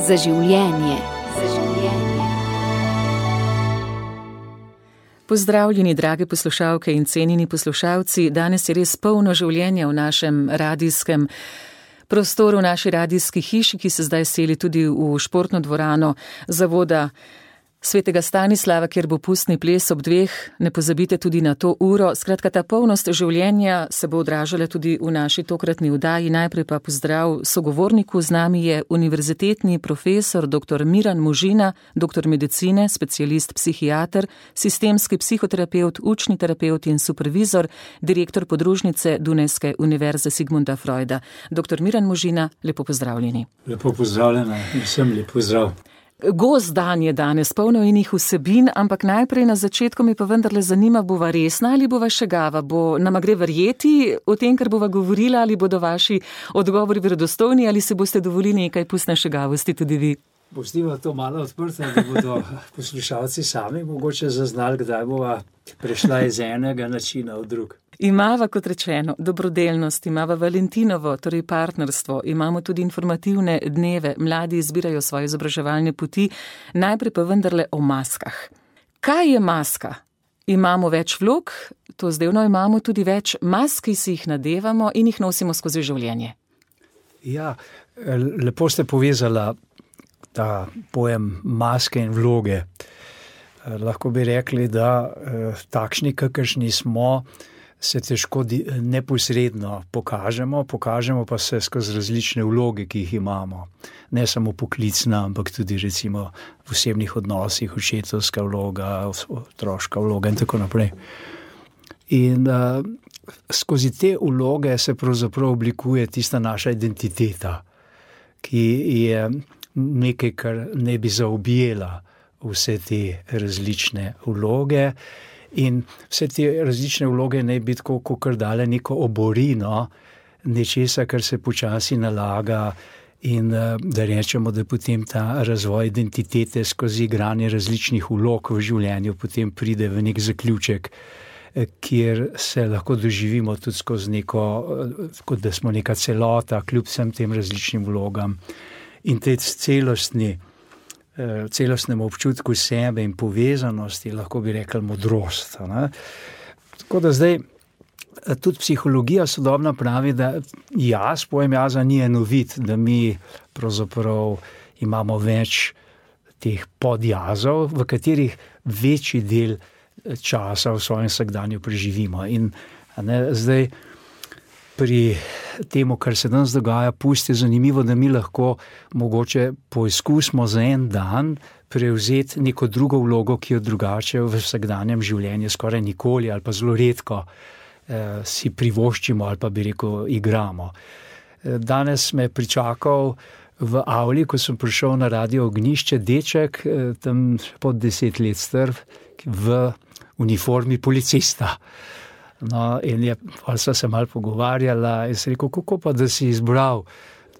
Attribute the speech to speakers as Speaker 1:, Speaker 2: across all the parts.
Speaker 1: Za življenje.
Speaker 2: Pozdravljeni, drage poslušalke in cenjeni poslušalci. Danes je res polno življenja v našem radijskem prostoru, v naši radijski hiši, ki se zdaj seli tudi v športno dvorano Zavoda Svetega Stanislava, kjer bo pustni ples ob 2. Ne pozabite tudi na to uro. Skratka, ta polnost življenja se bo odražala tudi v naši tokratni vdaji. Najprej pa pozdrav sogovorniku. Z nami je univerzitetni profesor dr. Miran Možina, doktor medicine, specialist psihiater, sistemski psihoterapevt, učni terapevt in supervizor, direktor podružnice Dunajske univerze Sigmunda Freuda. Dr. Miran Možina, lepo pozdravljeni.
Speaker 3: Lepo pozdravljena in vsem lep pozdrav.
Speaker 2: Gost dan je danes, polno inih vsebin, ampak najprej na začetku me pa vendarle zanima, bova resna ali bova šegava? Nama gre verjeti o tem, kar bova govorila, ali bodo vaši odgovori verodostojni, ali se boste dovolili nekaj pustne šegavosti tudi vi?
Speaker 3: Pustiva to malo odprto, da bodo poslušalci sami mogoče zaznali, kdaj bova prešla iz enega načina v drug.
Speaker 2: Imava, kot rečeno, dobrodelnost, imava Valentinovo, torej partnerstvo, imamo tudi informativne dneve, mladi izbirajo svoje izobraževalne poti, najprej pa vendarle o maskah. Kaj je maska? Imamo več vlog, to zdajno imamo tudi več mask, ki si jih nadevamo in jih nosimo skozi življenje.
Speaker 3: Ja, lepo ste povezala ta pojem maske in vloge. Lahko bi rekli, da takšni, kakršni smo, se težko neposredno pokažemo pa se skozi različne vloge, ki jih imamo. Ne samo poklicna, ampak tudi recimo v osebnih odnosih, očetovska vloga, otroška vloga in tako naprej. In skozi te vloge se pravzaprav oblikuje tista naša identiteta, ki je nekaj, kar ne bi zaobjela vse te različne vloge. In vse te različne vloge ne bi tako kakor dale neko oborino nečesa, kar se počasi nalaga in da rečemo, da potem ta razvoj identitete skozi igranje različnih vlog v življenju potem pride v nek zaključek, kjer se lahko doživimo tudi skozi neko, kot da smo neka celota, kljub vsem tem različnim vlogam. In tej celostnemu občutku sebe in povezanosti, lahko bi rekli modrost. Ne? Tako da zdaj tudi psihologija sodobna pravi, da pojem jaza ni enovit, da mi pravzaprav imamo več teh podjazov, v katerih večji del časa v svojem vsakdanju preživimo. In zdaj pri temu, kar se danes dogaja, pusti zanimivo, da mi lahko mogoče poizkusimo za en dan prevzeti neko drugo vlogo, ki jo drugače v vsakdanjem življenju skoraj nikoli ali pa zelo redko si privoščimo ali pa bi rekel igramo. Danes me je pričakal v avli, ko sem prišel na Radio Ognjišče, deček, tam pod 10 let star, v uniformi policista. No, in sva se malo pogovarjala in sem rekel, kako pa, da si izbral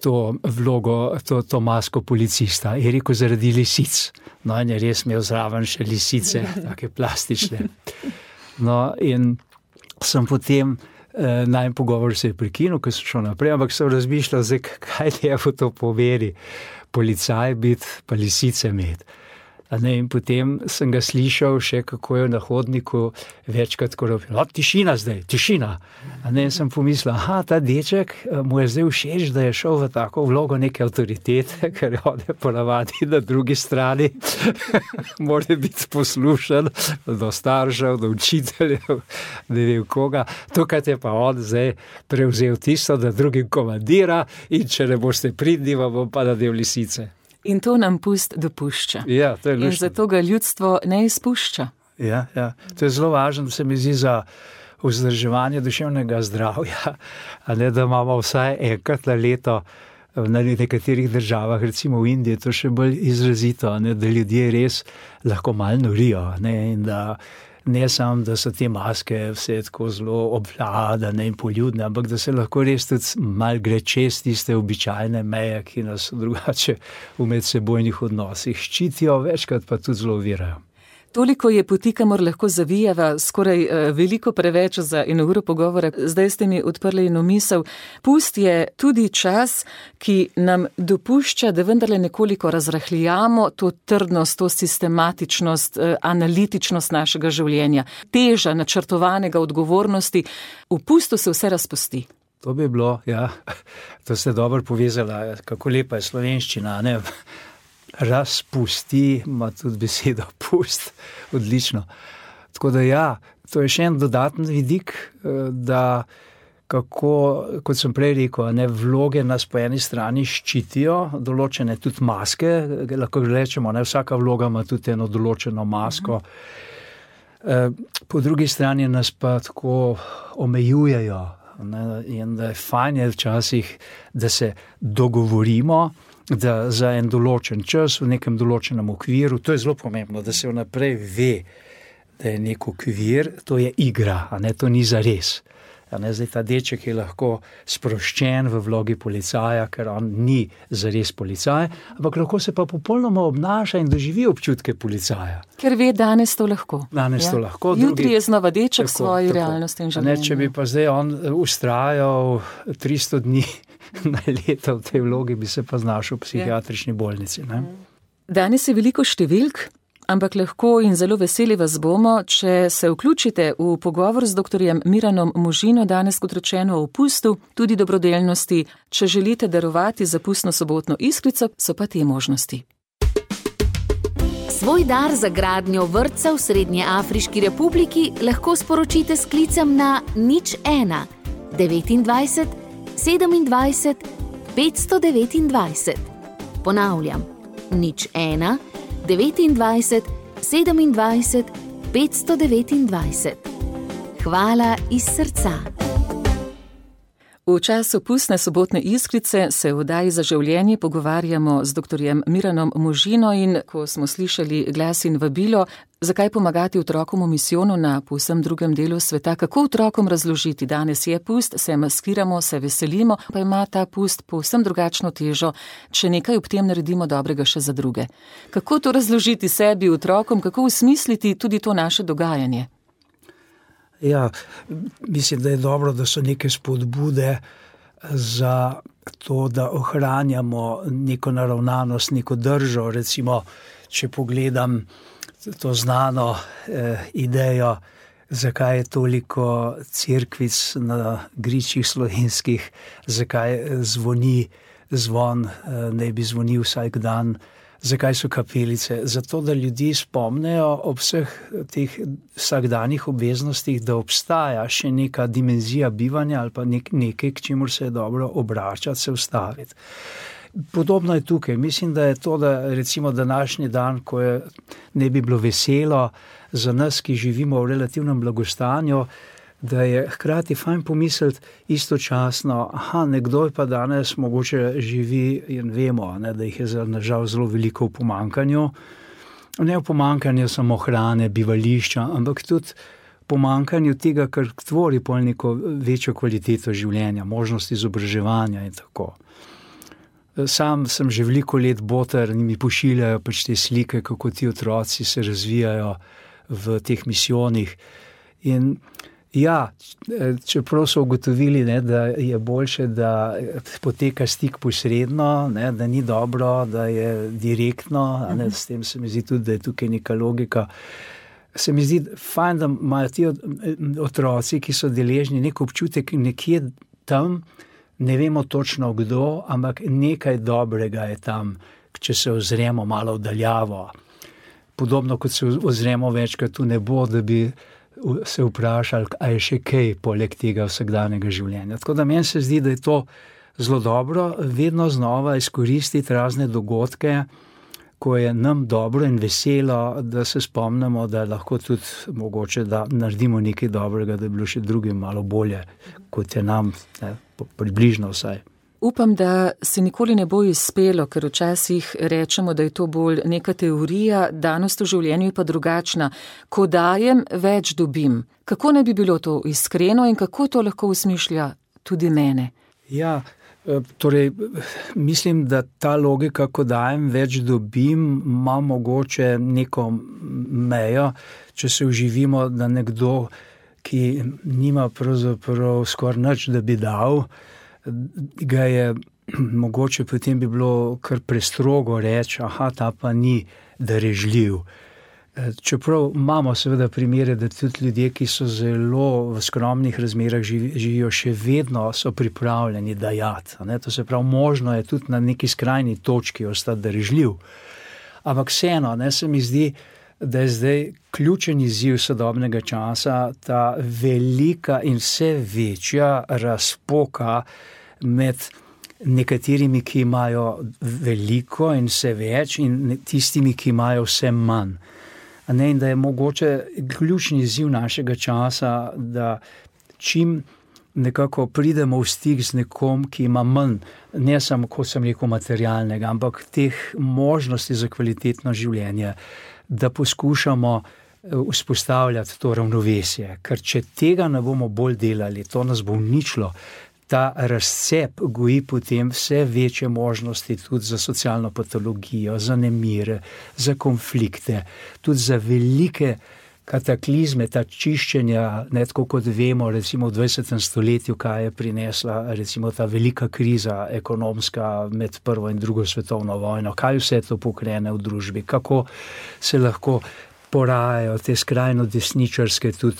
Speaker 3: to vlogo, to masko policista? Je rekel, zaradi lisic. No, in je res imel zraven še lisice, take plastične. No, in sem potem, najmanj pogovor se je prekinil, ko sem šel naprej, ampak sem razmišljal, kaj lepo to poveri, policaj biti, pa lisice imeti. In potem sem ga slišal še, kako je na hodniku večkrat rekel, tišina zdaj, tišina. In sem pomislil, ta deček mu je zdaj všeč, da je šel v tako vlogo neke avtoritete, ker je ponavadi na drugi strani, mora biti poslušan do staršev, do učiteljev, ne vem koga. Tukaj je pa on zdaj prevzel tisto, da drugim komandira in če ne boste pridni, bom pa nadel lisice.
Speaker 2: In to nam pust dopušča.
Speaker 3: Ja, to je luštno.
Speaker 2: In zato ga ljudstvo ne izpušča.
Speaker 3: Ja. To je zelo važno, se mi zdi, za vzdrževanje duševnega zdravja, da imamo vsaj enkrat na leto na nekaterih državah, recimo v Indiji, to še bolj izrazito, da ljudje res lahko malo norijo, in da ne samo, da so te maske vse tako zelo obvladane in poljudne, ampak da se lahko res tudi malo gre čez tiste običajne meje, ki nas drugače v medsebojnih odnosih ščitijo, večkrat pa tudi zelo ovirajo.
Speaker 2: Toliko je poti, kamor lahko zavijeva, skoraj veliko preveč za eno uro pogovora. Zdaj ste mi odprli eno misel. Pust je tudi čas, ki nam dopušča, da vendarle nekoliko razrahljamo to trdnost, to sistematičnost, analitičnost našega življenja. Teža načrtovanega odgovornosti. V pustu se vse razpusti.
Speaker 3: To bi bilo, ja. To ste dobro povezala, kako lepa je slovenščina, ne? Razpusti, ima tudi besedo pust, odlično. Tako da ja, to je še en dodaten vidik, da kako, kot sem prej rekel, ne, vloge nas po eni strani ščitijo, določene tudi maske, lahko rečemo, ne, vsaka vloga ima tudi eno določeno masko. Po drugi strani nas pa tako omejujejo, ne, in da je fajn je včasih, da se dogovorimo, da za en določen čas v nekem določenem okviru, to je zelo pomembno, da se vnaprej ve, da je nek okvir, to je igra, a ne, to ni zares. Zdaj ta deček je lahko sproščen v vlogi policaja, ker on ni zares policaj, ampak lahko se pa popolnoma obnaša in doživi občutke policaja.
Speaker 2: Ker ve, danes to lahko.
Speaker 3: Danes to lahko.
Speaker 2: Jutri je znova deček v svoji realnosti in življenju.
Speaker 3: Če bi pa zdaj on ustrajal 300 dni na leto v tej vlogi, bi se pa znašel v psihiatrični bolnici. Ne?
Speaker 2: Danes je veliko številk, ampak lahko in zelo veseli vas bomo, če se vključite v pogovor z doktorjem Miranom Možino, danes kot rečeno o pustu, tudi dobrodelnosti. Če želite darovati za pustno sobotno iskrico, so pa te možnosti.
Speaker 1: Svoj dar za gradnjo vrtca v Srednjeafriški republiki lahko sporočite s klicem na 01 29 27 529. Ponavljam, 01 29 27 529. Hvala iz srca.
Speaker 2: V času pustne sobotne iskrice se v oddaji Za življenje pogovarjamo z doktorjem Miranom Možino in ko smo slišali glas in vabilo, zakaj pomagati otrokom v misijonu na povsem drugem delu sveta, kako otrokom razložiti, danes je pust, se maskiramo, se veselimo, pa ima ta pust povsem drugačno težo, če nekaj ob tem naredimo dobrega še za druge. Kako to razložiti sebi, otrokom, kako usmisliti tudi to naše dogajanje?
Speaker 3: Ja, mislim, da je dobro, da so neke spodbude za to, da ohranjamo neko naravnanost, neko držo. Recimo, če pogledam to znano idejo, zakaj je toliko cerkvic na gričih slovenskih, zakaj zvoni zvon, naj bi zvonil vsak dan. Zakaj so kapelice? Zato, da ljudi spomnejo ob vseh teh vsakdanjih obveznostih, da obstaja še neka dimenzija bivanja ali pa nekaj, k čemur se je dobro obračati, se ustaviti. Podobno je tukaj. Mislim, da je to, da recimo današnji dan, ko je ne bi bilo veselo za nas, ki živimo v relativnem blagostanju, da je hkrati fajn pomisliti istočasno, nekdo pa danes mogoče živi in vemo, ne, da jih je nažal zelo veliko v pomanjkanju. Ne v pomanjkanju samo hrane, bivališča, ampak tudi pomanjkanju tega, kar tvori pol neko večjo kvaliteto življenja, možnost izobraževanja in tako. Sam sem že veliko let boter in mi pošiljajo pač te slike, kako ti otroci se razvijajo v teh misijonih. In ja, čeprav so ugotovili, ne, da je boljše, da poteka stik posredno, ne, da ni dobro, da je direktno, ne, s tem se mi zdi tudi, da je tukaj neka logika. Se mi zdi fajn, da imajo ti otroci, ki so deležni nek občutek nekje tam, ne vemo točno kdo, ampak nekaj dobrega je tam, če se ozremo malo vdaljavo. Podobno kot se ozremo večkrat v nebo, da bi se vprašali, a je še kaj poleg tega vsakdanjega življenja. Tako da meni se zdi, da je to zelo dobro, vedno znova izkoristiti razne dogodke, ko je nam dobro in veselo, da se spomnimo, da lahko tudi mogoče, da naredimo nekaj dobrega, da je bilo še drugim malo bolje, kot je nam, ne, približno vsaj.
Speaker 2: Upam, da se nikoli ne bo izpelo, ker včasih rečemo, da je to bolj neka teorija, danost v življenju je pa drugačna. Ko dajem, več dobim. Kako ne bi bilo to iskreno in kako to lahko usmišlja tudi mene?
Speaker 3: Ja, Torej, mislim, da ta logika, ko dajem, več dobim, ima mogoče neko mejo, če se vživimo, da nekdo, ki nima pravzaprav skoraj nič, da bi dal, ga je mogoče potem bi bilo kar prestrogo reči, ta pa ni darežljiv. Čeprav imamo seveda primere, da tudi ljudje, ki so zelo v skromnih razmerah živijo, še vedno so pripravljeni dajati. To se pravi, možno je tudi na neki skrajni točki ostati darežljiv. Ampak vseeno, se mi zdi, da je zdaj ključen izziv sodobnega časa ta velika in vse večja razpoka med nekaterimi, ki imajo veliko in vse več, in tistimi, ki imajo vse manj. In da je mogoče ključni izziv našega časa, da čim nekako pridemo v stik z nekom, ki ima manj, ne samo, kot sem rekel, materialnega, ampak teh možnosti za kvalitetno življenje, da poskušamo vzpostavljati to ravnovesje. Ker če tega ne bomo bolj delali, to nas bo uničilo. Ta razcep goji potem vse večje možnosti tudi za socialno patologijo, za nemire, za konflikte, tudi za velike kataklizme, ta čiščenja, tako kot vemo, recimo v 20. stoletju, kaj je prinesla recimo ta velika kriza ekonomska med prvo in drugo svetovno vojno, kaj vse to pokrene v družbi, kako se lahko porajajo te skrajno desničarske, tudi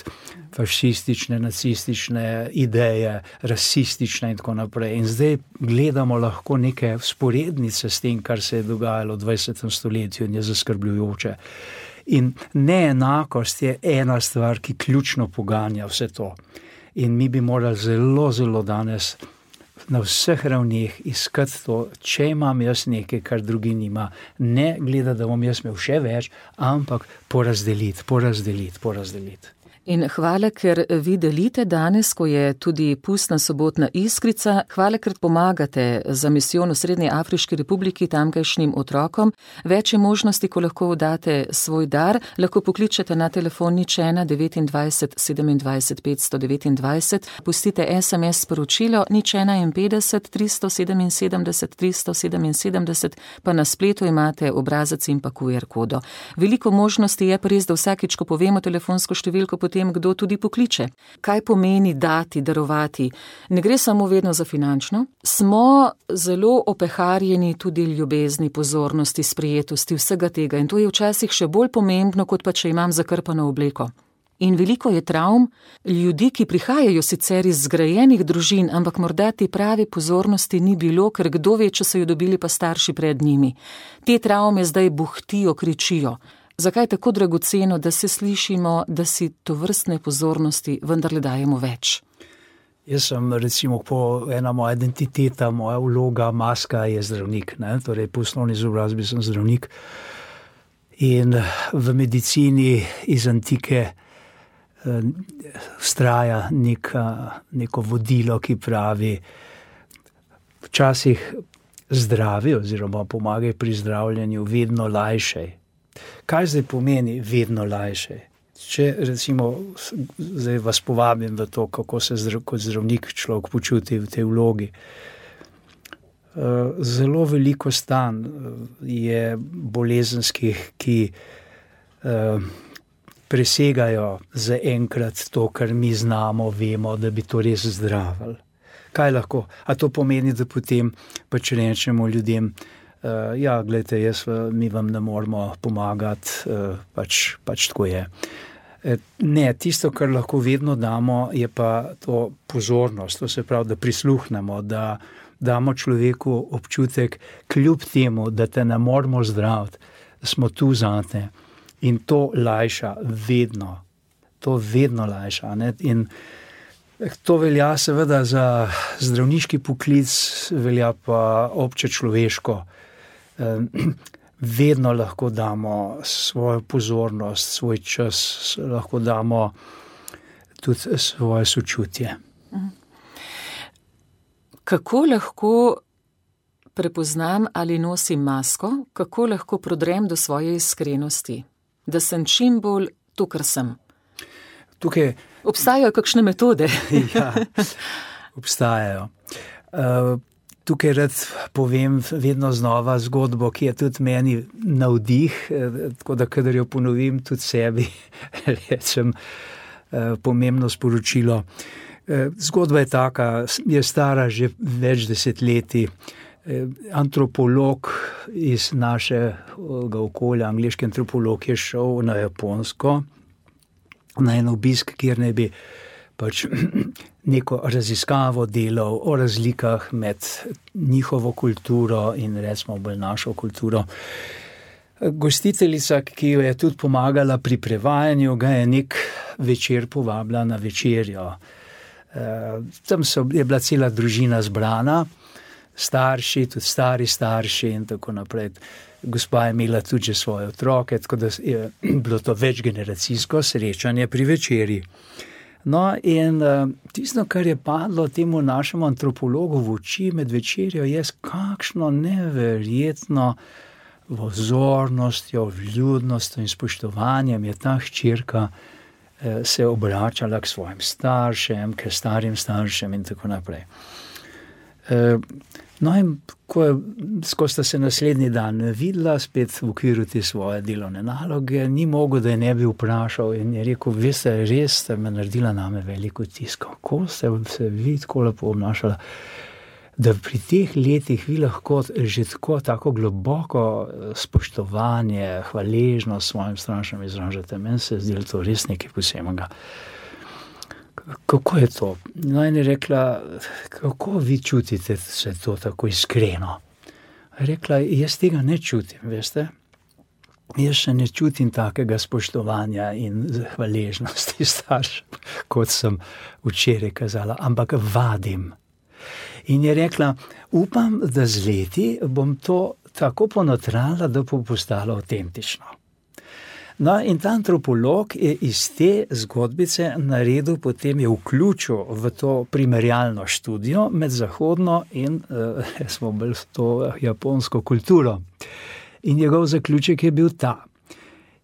Speaker 3: fašistične, nacistične ideje, rasistične in tako naprej. In zdaj gledamo lahko neke vzporednice s tem, kar se je dogajalo v 20. stoletju in je zaskrbljujoče. In neenakost je ena stvar, ki ključno poganja vse to. In mi bi morali zelo, zelo danes na vseh ravneh iskati to, če imam jaz nekaj, kar drugi nima, ne gledati, da bom jaz imel še več, ampak porazdeliti.
Speaker 2: In hvala, ker vi delite danes, ko je tudi pustna sobotna iskrica. Hvala, ker pomagate za misijon v Srednji Afriški republiki tamkajšnjim otrokom. Več je možnosti, ko lahko date svoj dar. Lahko pokličete na telefon 01 29 27 529. Pustite SMS sporočilo 051 377 377, pa na spletu imate obrazec in pa QR kodo. Veliko možnosti je pa res, da vsakič, ko povemo telefonsko številko, potem kdo tudi pokliče. Kaj pomeni dati, darovati? Ne gre samo vedno za finančno. Smo zelo opeharjeni tudi ljubezni, pozornosti, sprejetosti, vsega tega. In to je včasih še bolj pomembno, kot pa če imam zakrpano obleko. In veliko je travm ljudi, ki prihajajo sicer iz zgrajenih družin, ampak morda te prave pozornosti ni bilo, ker kdo ve, če so jo dobili pa starši pred njimi. Te travme zdaj buhtijo, kričijo. Zakaj je tako dragoceno, da se slišimo, da si tovrstne pozornosti vendarle dajemo več?
Speaker 3: Jaz sem recimo ena moja identiteta, moja vloga, maska je zdravnik. Torej po osnovni izobrazbi sem zdravnik. In v medicini iz antike vztraja neko vodilo, ki pravi, včasih zdravi oziroma pomagaj pri zdravljenju vedno lajšej. Kaj zdaj pomeni vedno lajše? Če recimo, zdaj vas povabim v to, kako se kot zdravnik človek počuti v tej vlogi. Zelo veliko stanj je bolezenskih, ki presegajo zaenkrat to, kar mi znamo, vemo, da bi to res zdravili. Kaj lahko? A to pomeni, da potem pač rečemo ljudem, gledajte, mi vam ne moramo pomagati, pač tako je. Ne, tisto, kar lahko vedno damo, je pa to pozornost, to se pravi, da prisluhnemo, da damo človeku občutek, kljub temu, da te ne moramo zdraviti, smo tu zate. In to lajša vedno. To vedno lajša. In to velja seveda za zdravniški poklic, velja pa obče človeško. Vedno lahko damo svojo pozornost, svoj čas, lahko damo tudi svoje sočutje.
Speaker 2: Kako lahko prepoznam, ali nosim masko, kako lahko prodrem do svoje iskrenosti, da sem čim bolj to, kar sem?
Speaker 3: Tukaj
Speaker 2: obstajajo kakšne metode?
Speaker 3: Ja, obstajajo. Tukaj rad povem vedno znova zgodbo, ki je tudi meni navdih, tako da kadar jo ponovim tudi sebi, rečem pomembno sporočilo. Zgodba je taka, je stara že več desetletij. Antropolog iz našega okolja, angleški antropolog, je šel na Japonsko na en obisk, kjer naj bi pač neko raziskavo delal o razlikah med njihovo kulturo in recimo bolj našo kulturo. Gostiteljica, ki jo je tudi pomagala pri prevajanju, ga je nek večer povabila na večerjo. Tam je bila cela družina zbrana, starši, tudi stari starši in tako naprej. Gospa je imela tudi že svoje otroke, tako da je bilo to večgeneracijsko srečanje pri večerji. No, in tisto, kar je padlo temu našemu antropologu v oči med večerjo, je kakšno neverjetno vzornostjo, vljudnostjo in spoštovanjem je ta hčerka se obračala k svojim staršem, k starim staršem in tako naprej. No, in ko sta se naslednji dan videla, spet v okviru te svoje delovne naloge, ni mogel, da je ne bi vprašal in je rekel, veste, res ste me naredila name veliko vtis, kako ste se vi tako lepo obnašala, da pri teh letih vi lahko že tako globoko spoštovanje, hvaležnost svojim staršem izražate. Meni se zdi to res nekaj posebnega. Kako je to? No, in je rekla, kako vi čutite se to tako iskreno? Rekla, jaz tega ne čutim, veste? Jaz še ne čutim takega spoštovanja in hvaležnosti staršem, kot sem včeraj kazala, ampak vadim. In je rekla, upam, da z leti bom to tako ponotrala, da bo postalo avtentično. No, in ta antropolog je iz te zgodbice naredil, potem je vključil v to primerjalno študijo med zahodno in smo bolj to japonsko kulturo. In njegov zaključek je bil ta.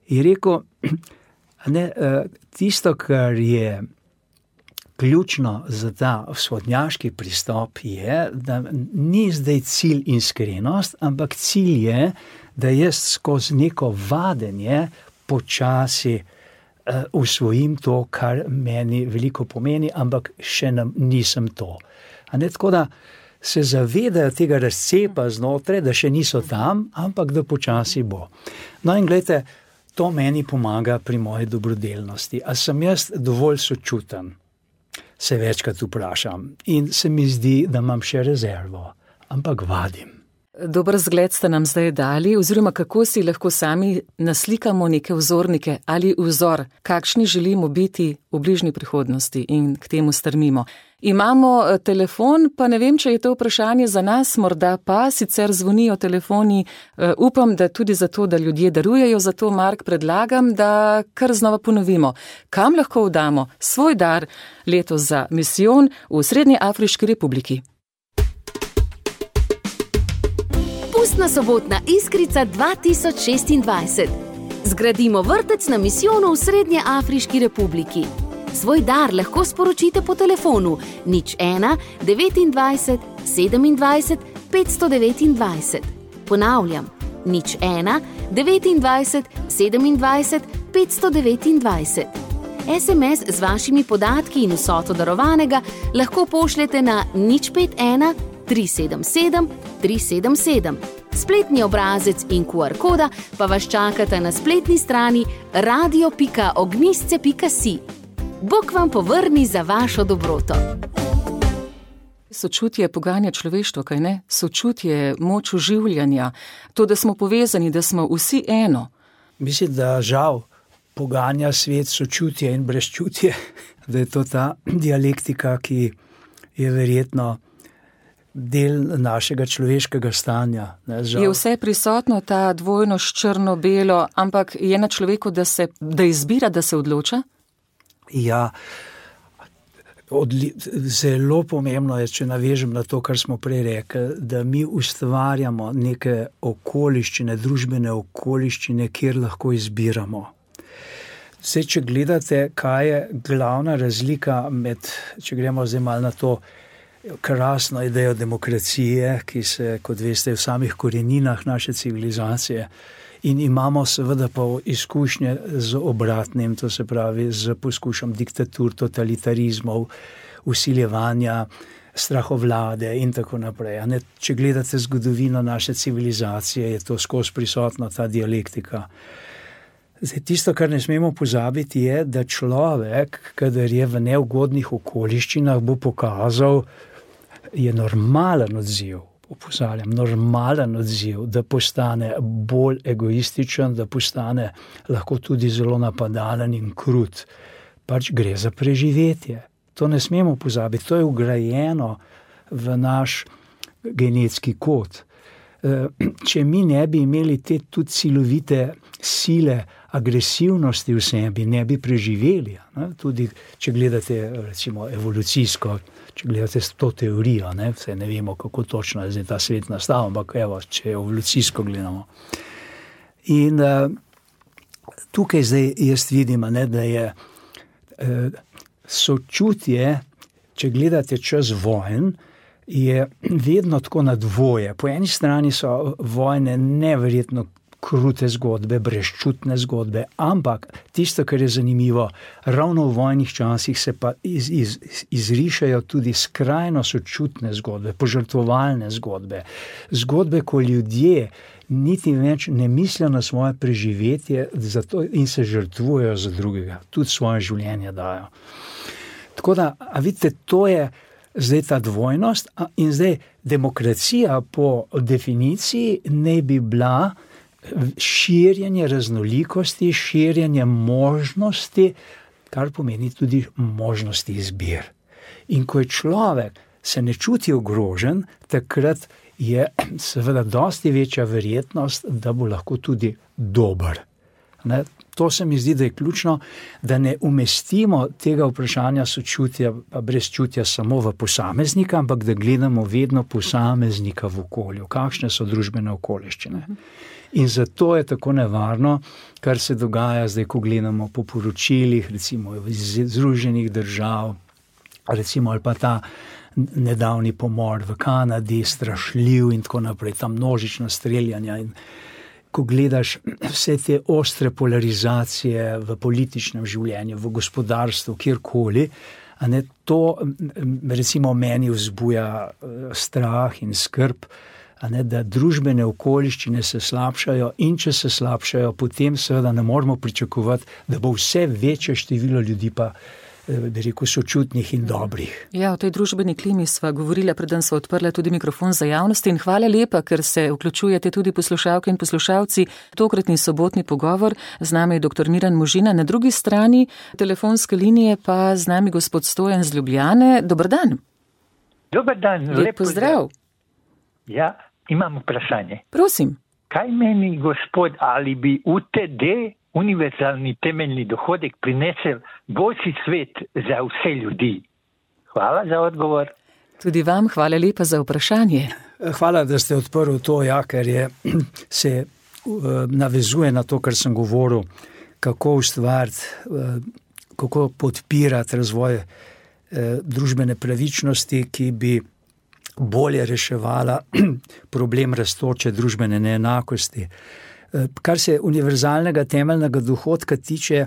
Speaker 3: Je rekel, tisto, kar je ključno za ta vzhodnjaški pristop je, da ni zdaj cilj iskrenost, ampak cilj je, da jaz skozi neko vadenje počasi usvojim to, kar meni veliko pomeni, ampak še nisem to. Tako da se zavedajo tega razcepa znotraj, da še niso tam, ampak da počasi bo. No in gledajte, to meni pomaga pri moji dobrodelnosti. A sem jaz dovolj sočuten? Se večkrat vprašam. In se mi zdi, da imam še rezervo, ampak vadim.
Speaker 2: Dober zgled ste nam zdaj dali, oziroma kako si lahko sami naslikamo neke vzornike ali vzor, kakšni želimo biti v bližnji prihodnosti in k temu strmimo. Imamo telefon, pa ne vem, če je to vprašanje za nas, morda pa sicer zvonijo telefoni. Upam, da tudi zato, da ljudje darujejo, zato Mark predlagam, da kar znova ponovimo. Kam lahko vdamo svoj dar letos za misijon v Srednji Afriški republiki?
Speaker 1: Pustna sobotna iskrica 2026. Zgradimo vrtec na misijonu v Srednje Afriški republiki. Svoj dar lahko sporočite po telefonu 01 29 27 529. Ponavljam, 01 29 27 529. SMS z vašimi podatki in vsoto darovanega lahko pošljete na 051 377 377. Spletni obrazec in QR koda pa vas čakata na spletni strani radio.ognjisce.si. Bog vam povrni za vašo dobroto.
Speaker 2: Sočutje poganja človeštvo, kaj ne? Sočutje, moč oživljanja, to, da smo povezani, da smo vsi eno.
Speaker 3: Mislim, da žal poganja svet sočutje in brezčutje, da je to ta dialektika, ki je verjetno del našega človeškega stanja.
Speaker 2: Je vse prisotno, ta dvojnost črno-belo, ampak je na človeku, da izbira, da se odloča?
Speaker 3: Ja, zelo pomembno je, če navežem na to, kar smo prej rekli, da mi ustvarjamo neke okoliščine, družbene okoliščine, kjer lahko izbiramo. Zdaj, če gledate, kaj je glavna razlika med, če gremo zdaj malo na to, krasno idejo demokracije, ki se, kot veste, v samih koreninah naše civilizacije. In imamo seveda pa izkušnje z obratnim, to se pravi z poskušom diktatur, totalitarizmov, vsiljevanja, strahovlade in tako naprej. Če gledate zgodovino naše civilizacije, je to skozi prisotna ta dialektika. Zdaj, tisto, kar ne smemo pozabiti, je, da človek, kadar je v neugodnih okoliščinah, bo pokazal, je normalen odziv, opozarjam, normalen odziv, da postane bolj egoističen, da postane lahko tudi zelo napadalen in krut. Pač gre za preživetje. To ne smemo pozabiti, to je vgrajeno v naš genetski kod. Če mi ne bi imeli te tudi silovite sile, agresivnosti v sebi, ne bi preživeli. Tudi, če gledate recimo evolucijsko, če gledate to teorijo, vse ne vemo, kako točno je zdaj ta svet nastal, ampak evo, če evolucijsko gledamo. In tukaj zdaj jaz vidim, da je sočutje, če gledate čez vojn, je vedno tako na dvoje. Po eni strani so vojne neverjetno krute zgodbe, brezčutne zgodbe, ampak tisto, kar je zanimivo, ravno v vojnih časih se pa izrišajo tudi skrajno sočutne zgodbe, požrtvovalne zgodbe. Zgodbe, ko ljudje niti več ne mislijo na svoje preživetje zato in se žrtvujejo za drugega, tudi svoje življenje dajo. Tako da, a vidite, to je zdaj ta dvojnost in zdaj demokracija po definiciji ne bi bila širjenje raznolikosti, širjenje možnosti, kar pomeni tudi možnosti izbir. In ko je človek se ne čuti ogrožen, takrat je seveda dosti večja verjetnost, da bo lahko tudi dober. To se mi zdi, da je ključno, da ne umestimo tega vprašanja sočutja pa brezčutja samo v posameznika, ampak da gledamo vedno posameznika v okolju, kakšne so družbene okoliščine. In zato je tako nevarno, kar se dogaja zdaj, ko gledamo po poročilih, recimo iz Združenih držav, recimo ali pa ta nedavni pomor v Kanadi, strašljiv in tako naprej, ta množična streljanja. In ko gledaš vse te ostre polarizacije v političnem življenju, v gospodarstvu, kjerkoli, to recimo meni vzbuja strah in skrb, da družbene okoliščine se slabšajo in če se slabšajo, potem seveda ne moramo pričakovati, da bo vse večje število ljudi pa bi rekel, sočutnih in dobrih.
Speaker 2: Ja, o tej družbeni klimi sva govorila, preden sva odprla tudi mikrofon za javnost in hvala lepa, ker se vključujete tudi poslušalke in poslušalci. Tokratni sobotni pogovor, z nami je dr. Miran Možina, na drugi strani telefonske linije pa z nami gospod Stojan z Ljubljane. Dober dan.
Speaker 4: Dober dan.
Speaker 2: Lep pozdrav.
Speaker 4: Ja, imam vprašanje.
Speaker 2: Prosim.
Speaker 4: Kaj meni gospod, ali bi UTD, univerzalni temeljni dohodek, prinesel boljši svet za vse ljudi? Hvala za odgovor.
Speaker 2: Tudi vam hvala lepa za vprašanje.
Speaker 3: Hvala, da ste odprli to, ker se navezuje na to, kar sem govoril, kako ustvariti, kako podpirati razvoj družbene pravičnosti, ki bi bolje reševala problem rastoče družbene neenakosti. Kar se univerzalnega temeljnega dohodka tiče,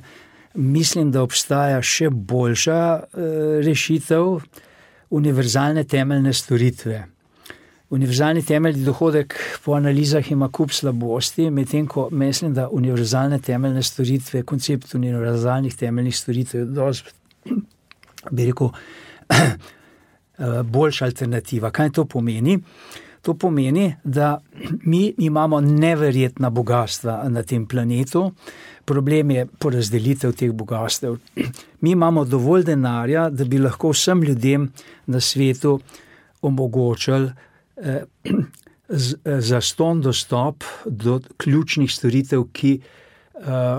Speaker 3: mislim, da obstaja še boljša rešitev, univerzalne temeljne storitve. Univerzalni temeljni dohodek po analizah ima kup slabosti, medtem ko mislim, da univerzalne temeljne storitve, koncept univerzalnih temeljnih storitev je dosti, bi rekel, boljša alternativa. Kaj to pomeni? To pomeni, da mi imamo neverjetna bogatstva na tem planetu. Problem je porazdelitev teh bogatstev. Mi imamo dovolj denarja, da bi lahko vsem ljudem na svetu omogočili zastonj dostop do ključnih storitev, ki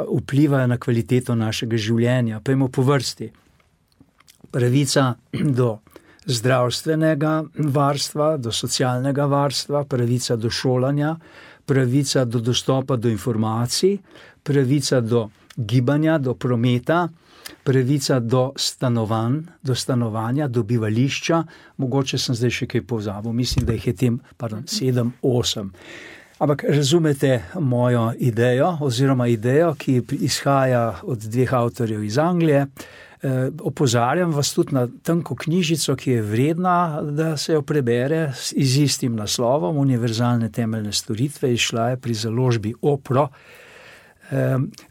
Speaker 3: vplivajo na kvaliteto našega življenja. Pojdimo po vrsti. Pravica do zdravstvenega varstva, do socialnega varstva, pravica do šolanja, pravica do dostopa do informacij, pravica do gibanja, do prometa, pravica do stanovanja, do bivališča, mogoče sem zdaj še kaj pozabil, mislim, da jih je tem 7, 8. Ampak razumete mojo idejo, oziroma idejo, ki izhaja od 2 avtorjev iz Anglije. Opozarjam vas tudi na tanko knjižico, ki je vredna, da se jo prebere z istim naslovom, Univerzalne temeljne storitve, izšla je pri založbi Opro.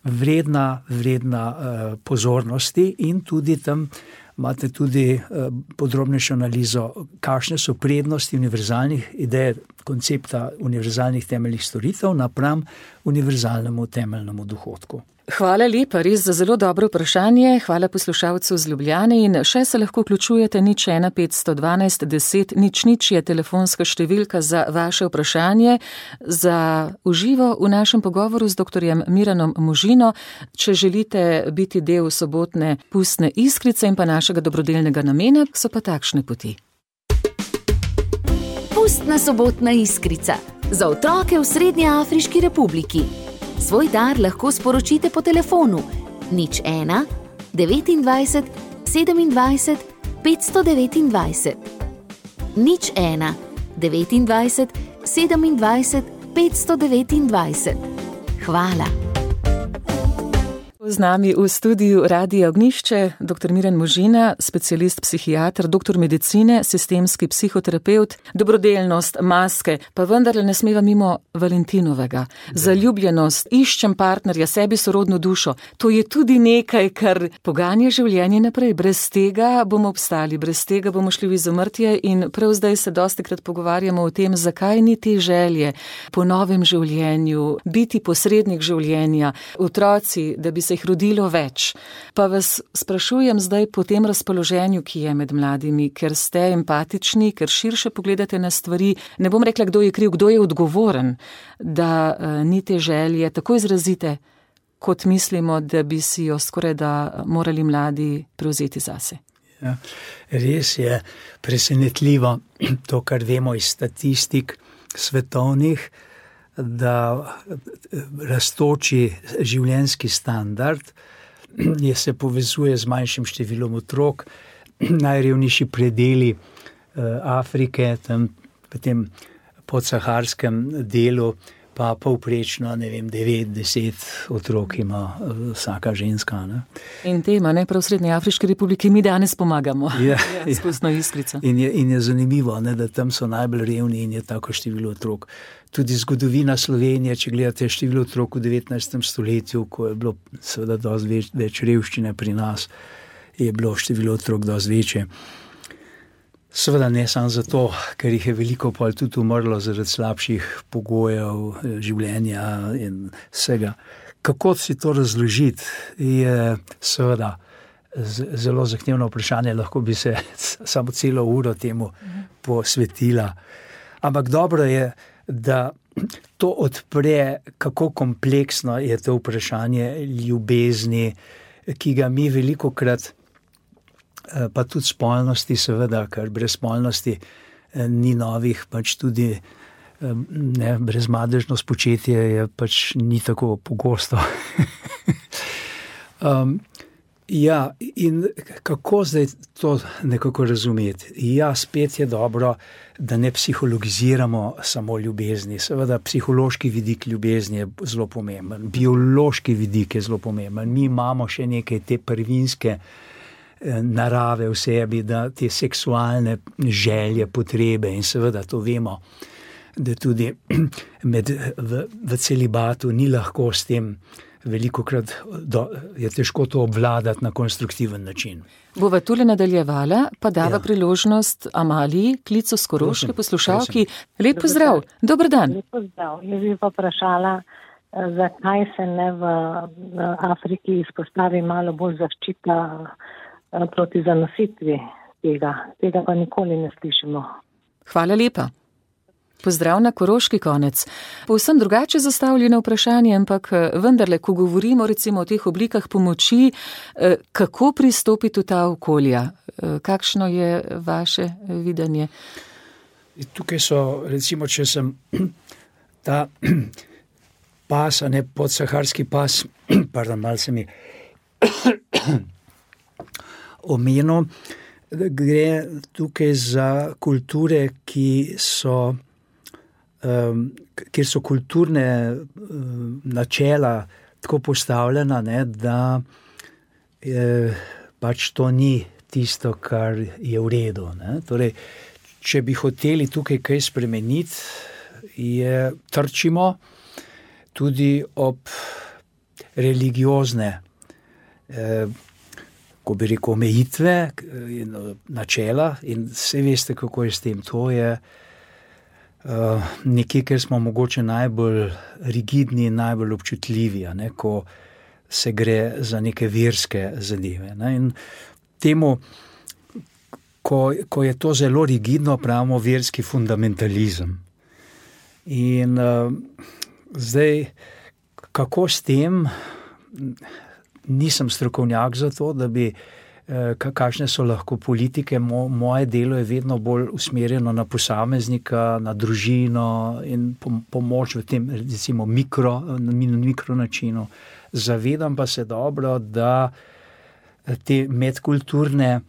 Speaker 3: Vredna pozornosti in tudi tam imate tudi podrobnejšo analizo, kakšne so prednosti univerzalnih idej, koncepta univerzalnih temeljnih storitev napram univerzalnemu temeljnemu dohodku.
Speaker 2: Hvala lepa, res za zelo dobro vprašanje. Hvala poslušalcu z Ljubljane in še se lahko vključujete 01 512 10 00 je telefonska številka za vaše vprašanje, za uživo v našem pogovoru z dr. Miranom Možino. Če želite biti del sobotne pustne iskrice in pa našega dobrodelnega namena, so pa takšne poti.
Speaker 1: Pustna sobotna iskrica za otroke v Srednjeafriški republiki. Svoj dar lahko sporočite po telefonu 01 29 27 529. 01 29 27 529. Hvala.
Speaker 2: Z nami v studiu Radia Ognjišče dr. Miran Možina, specialist psihiater, doktor medicine, sistemski psihoterapevt, dobrodelnost, maske, pa vendarle ne smeva mimo Valentinovega. Zaljubljenost, iščem partnerja, sebi sorodno dušo. To je tudi nekaj, kar poganja življenje naprej. Brez tega bomo obstali, brez tega bomo šli v izumrtje in prav zdaj se dostikrat pogovarjamo o tem, zakaj ni te želje po novem življenju, biti posrednik življenja, otroci, da bi se jih rodilo več. Pa vas sprašujem zdaj po tem razpoloženju, ki je med mladimi, ker ste empatični, ker širše pogledate na stvari. Ne bom rekla, kdo je kriv, kdo je odgovoren, da ni te želje tako izrazite, kot mislimo, da bi si jo skoraj da morali mladi prevzeti zase.
Speaker 3: Ja, res je presenetljivo to, kar vemo iz statistik svetovnih, da rastoči življenjski standard se povezuje z manjšim številom otrok. Najrevnejši predeli Afrike, tam v tem podsaharskem delu, pa povprečno, 9-10 otrok ima vsaka ženska. Ne?
Speaker 2: In tema, prav v Srednjeafriški republiki mi danes pomagamo. S pustno iskrico.
Speaker 3: In je zanimivo, da tam so najbolj revni in je tako število otrok. Tudi zgodovina Slovenije, če gledate število otrok v 19. stoletju, ko je bilo seveda dosti več revščine pri nas, je bilo število otrok dosti večje. Seveda ne samo zato, ker jih je veliko pa tudi umrlo zaradi slabših pogojev življenja in vsega. Kako si to razložiti, je seveda zelo zahtevno vprašanje, lahko bi se samo celo uro temu posvetila. Ampak dobro je, da to odpre, kako kompleksno je to vprašanje ljubezni, ki ga mi velikokrat, pa tudi spolnosti seveda, ker brez spolnosti ni novih, pač tudi brezmadežno spočetje je pač ni tako pogosto. Ja, in kako zdaj to nekako razumeti? Ja, spet je dobro, da ne psihologiziramo samo ljubezni. Seveda, psihološki vidik ljubezni je zelo pomemben, biološki vidik je zelo pomemben. Mi imamo še nekaj te prvinske narave v sebi, da te seksualne želje, potrebe in seveda to vemo, da tudi v celibatu ni lahko s tem. Velikokrat je težko to obvladati na konstruktiven način.
Speaker 2: Bova tule nadaljevala, pa dava priložnost Amaliji, klicu s Koroške, poslušalki. Lep pozdrav, dober dan.
Speaker 5: Lep pozdrav, jaz bi pa vprašala, zakaj se ne v Afriki izpostavi malo bolj zaščita proti zanositvi tega. Tega pa nikoli ne slišimo.
Speaker 2: Hvala lepa. Pozdrav na Koroški konec. Povsem drugače zastavljeno vprašanje, ampak vendarle, ko govorimo recimo o teh oblikah pomoči, kako pristopiti v ta okolja? Kakšno je vaše videnje?
Speaker 3: Tukaj so, recimo, če sem ta pas, podsaharski pas malo se mi omenil, gre tukaj za kulture, kjer so kulturne načela tako postavljena, ne, da pač to ni tisto, kar je v redu. Ne. Torej, če bi hoteli tukaj kaj spremeniti, trčimo tudi ob religiozne, ko bi rekel, omejitve in načela, in vse veste, kako je s tem. To je nekje, ker smo mogoče najbolj rigidni in najbolj občutljivi, ne, ko se gre za neke verske zadeve. Ne. In temu, ko je to zelo rigidno, pravimo verski fundamentalizem. In zdaj, kako s tem, nisem strokovnjak za to, da bi, kakšne so lahko politike, moje delo je vedno bolj usmerjeno na posameznika, na družino in pomoč v tem, recimo, mikro načinu. Zavedam pa se dobro, da te medkulturne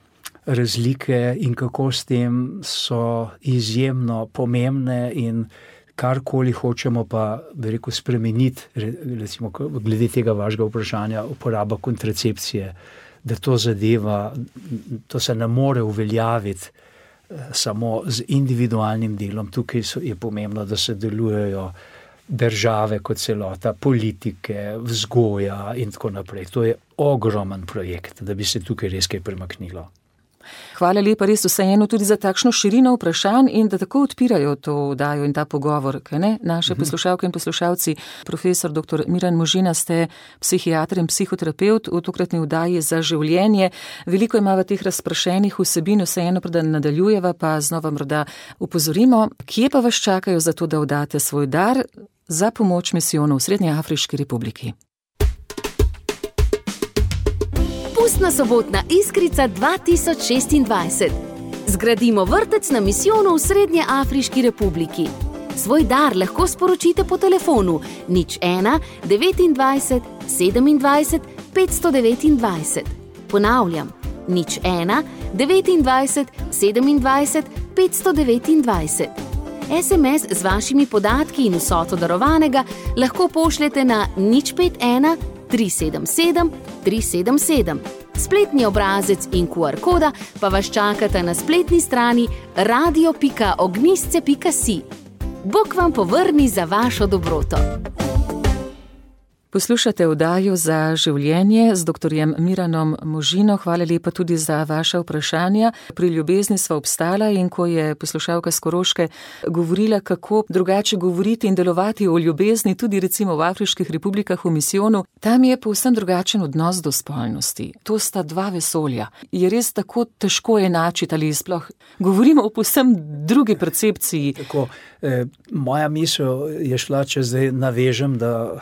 Speaker 3: razlike in kako s tem so izjemno pomembne in karkoli hočemo pa, bi rekel, spremeniti, recimo glede tega vašega vprašanja, uporaba kontracepcije, da to zadeva, to se ne more uveljaviti samo z individualnim delom. Tukaj je pomembno, da se delujejo države kot celota, politike, vzgoja in tako naprej. To je ogromen projekt, da bi se tukaj res kaj premaknilo.
Speaker 2: Hvala lepa res vseeno tudi za takšno širino vprašanj in da tako odpirajo to oddajo in ta pogovor, kaj ne? Naše poslušalke in poslušalci, profesor dr. Miran Možina, ste psihiater in psihoterapeut v tokratni oddaji Za življenje. Veliko ima v teh razprašenih vsebin, vseeno preden nadaljujeva, pa znova morda upozorimo, kje pa vas čakajo za to, da oddate svoj dar za pomoč misijonu v Srednjeafriški republiki.
Speaker 1: Pustna sobotna iskrica 2026. Zgradimo vrtec na misijonu v Srednjeafriški republiki. Svoj dar lahko sporočite po telefonu 01 29 27 529. Ponavljam, 01 29 27 529. SMS z vašimi podatki in vsoto darovanega lahko pošljete na 051 377 377. Spletni obrazec in QR koda pa vas čakata na spletni strani radio.ognistce.si. Bog vam povrni za vašo dobroto.
Speaker 2: Poslušate oddajo Za življenje z dr. Miranom Možino. Hvala lepa tudi za vaša vprašanja. Pri ljubezni sva obstala in ko je poslušalka s Koroške govorila, kako drugače govoriti in delovati o ljubezni, tudi recimo v Afriških republikah v misijonu, tam je povsem drugačen odnos do spolnosti. To sta dva vesolja. Je res tako težko enačiti ali sploh govorimo o povsem drugi percepciji?
Speaker 3: Tako, moja misel je šla, če zdaj navežem, da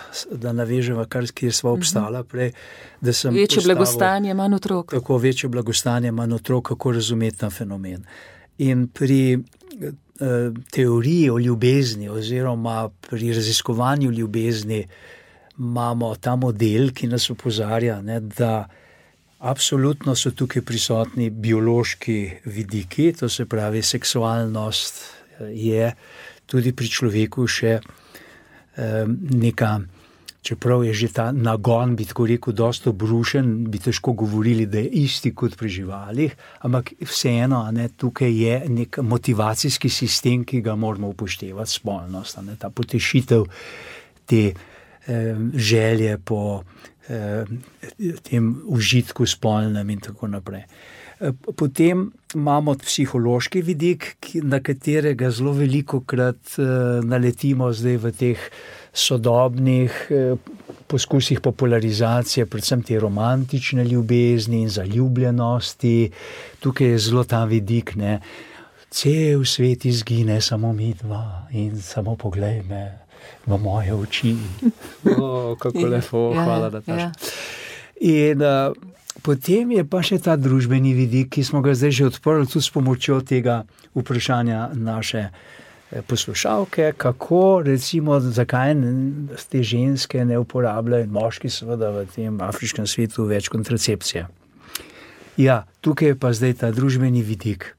Speaker 3: naveževa, kjer sva obstala prej, da sem
Speaker 2: večje blagostanje, manj otrok.
Speaker 3: Tako, večje blagostanje, manj otrok, kako razumeti ta fenomen. In pri teoriji o ljubezni oziroma pri raziskovanju ljubezni imamo ta model, ki nas opozarja, ne, da absolutno so tukaj prisotni biološki vidiki, to se pravi seksualnost je tudi pri človeku še neka, čeprav je že ta nagon, bi tako rekel, dosto obrušen, bi težko govorili, da je isti kot pri živalih, ampak vseeno, ne, tukaj je nek motivacijski sistem, ki ga moramo upoštevati, spolnost, ne, ta potešitev te želje po tem užitku spolnem in tako naprej. Potem imamo psihološki vidik, na katerega zelo velikokrat naletimo zdaj v teh sodobnih poskusih popularizacije, predvsem te romantične ljubezni in zaljubljenosti. Tukaj je zelo ta vidik, ne, cel svet izgine, samo mi dva in samo poglej me v moje oči. Kako lepo, hvala, da taš. In potem je pa še ta družbeni vidik, ki smo ga zdaj že odprli tudi s pomočjo tega vprašanja naše poslušalke, kako recimo, zakaj te ženske ne uporabljajo in moški seveda v tem afriškem svetu več kontracepcije. Ja, tukaj je pa zdaj ta družbeni vidik.